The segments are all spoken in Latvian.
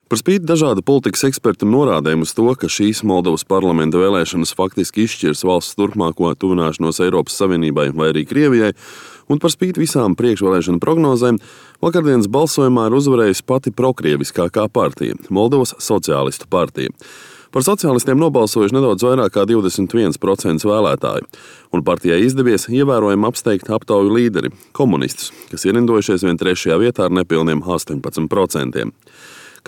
Par spīti dažādu politikas ekspertu norādēm uz to, ka šīs Moldovas parlamenta vēlēšanas faktiski izšķirs valsts turpmāko tuvināšanos Eiropas Savienībai vai arī Krievijai, un par spīti visām priekšvēlēšanu prognozēm, vakardienas balsojumā ir uzvarējusi pati prokrieviskākā partija – Moldovas sociālistu partija. Par sociālistiem nobalsojuši nedaudz vairāk kā 21% vēlētāju, un partijai izdevies ievērojami apsteigt aptauju līderi – komunistus, kas ierindojušies vien 3. vietā ar nepilniem 18%.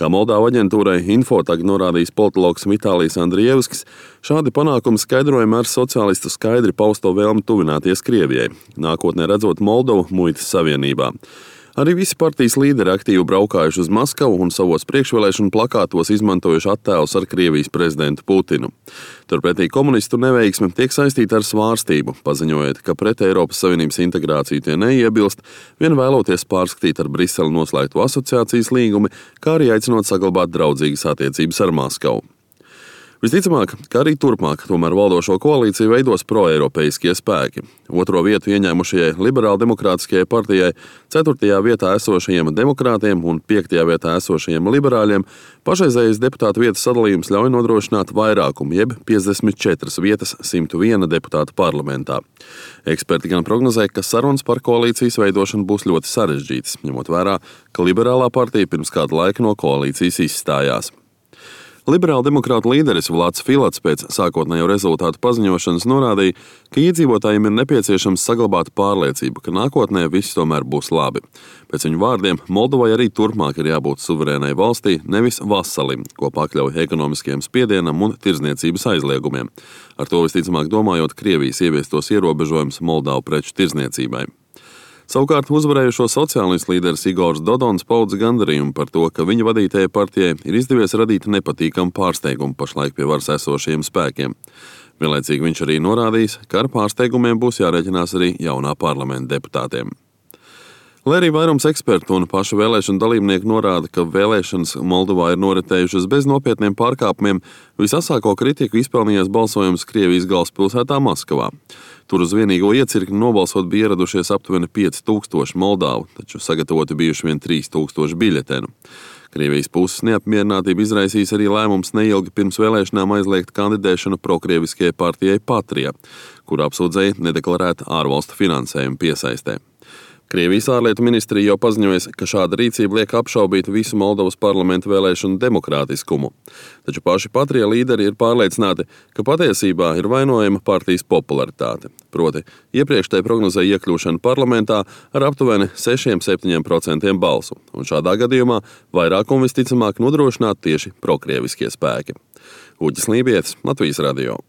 Kā Moldāvu aģentūrai Infotag norādījis politologs Vitālijs Andrievskis, šādi panākumi skaidrojami ar sociālistu skaidri pausto vēlmi tuvināties Krievijai, nākotnē redzot Moldovu muitas savienībā. Arī visi partijas līderi aktīvi braukājuši uz Maskavu un savos priekšvēlēšanu plakātos izmantojuši attēlus ar Krievijas prezidentu Putinu. Turpretī komunistu neveiksme tiek saistīta ar svārstību, paziņojot, ka pret Eiropas Savienības integrāciju tie neiebilst, vien vēloties pārskatīt ar Briseli noslēgto asociācijas līgumi, kā arī aicinot saglabāt draudzīgas attiecības ar Maskavu. Visticamāk, ka arī turpmāk tomēr valdošo koalīciju veidos proeiropeiskie spēki. 2. vietu ieņēmušajai liberāldemokrātiskajai partijai, 4. vietā esošajiem demokrātiem un 5. vietā esošajiem liberāļiem pašreizējais deputātu vietas sadalījums ļauj nodrošināt vairākumu, jeb 54 vietas 101 deputātu parlamentā. Eksperti gan prognozē, ka sarunas par koalīcijas veidošanu būs ļoti sarežģītas, ņemot vērā, ka liberālā partija pirms kāda laika no koalīcijas izstājās. Liberāla demokrāta līderis Vlads Filats pēc sākotnējo rezultātu paziņošanas norādīja, ka iedzīvotājiem ir nepieciešams saglabāt pārliecību, ka nākotnē viss tomēr būs labi. Pēc viņu vārdiem, Moldovai arī turpmāk ir jābūt suverēnai valstī, nevis vasalim, ko pakļauj ekonomiskiem spiedienam un tirdzniecības aizliegumiem. Ar to visticamāk domājot Krievijas ieviestos ierobežojumus Moldavu preču tirdzniecībai. Savukārt uzvarējušo sociālistu līderis Igors Dodons paudza gandarījumu par to, ka viņa vadītajai partijai ir izdevies radīt nepatīkamu pārsteigumu pašlaik pie varas esošajiem spēkiem. Vienlaicīgi viņš arī norādījis, ka ar pārsteigumiem būs jārēķinās arī jaunā parlamenta deputātiem. Lai arī vairums ekspertu un pašu vēlēšanu dalībnieku norāda, ka vēlēšanas Moldovā ir noritējušas bez nopietniem pārkāpumiem, visasāko kritiku izpelnījās balsojums Krievijas galvaspilsētā Maskavā. Tur uz vienīgo iecirkni nobalsot bija ieradušies aptuveni 5000 Moldāvu, taču sagatavoti bijuši vien 3000 biļetenu. Krievijas puses neapmierinātība izraisīs arī lēmums neilgi pirms vēlēšanām aizliegt kandidēšanu prokrieviskajai partijai Patrija, kur apsūdzēja nedeklarētu ārvalstu finansējumu piesaistē. Krievijas ārlietu ministrija jau paziņojusi, ka šāda rīcība liek apšaubīt visu Moldovas parlamenta vēlēšanu demokrātiskumu. Taču paši Patrija līderi ir pārliecināti, ka patiesībā ir vainojama partijas popularitāte. Proti, iepriekš tai prognozēja iekļūšanu parlamentā ar aptuveni 6–7% balsu, un šādā gadījumā vairākumu visticamāk nodrošinātu tieši prokrieviskie spēki. Uģis Lībietis, Latvijas radio.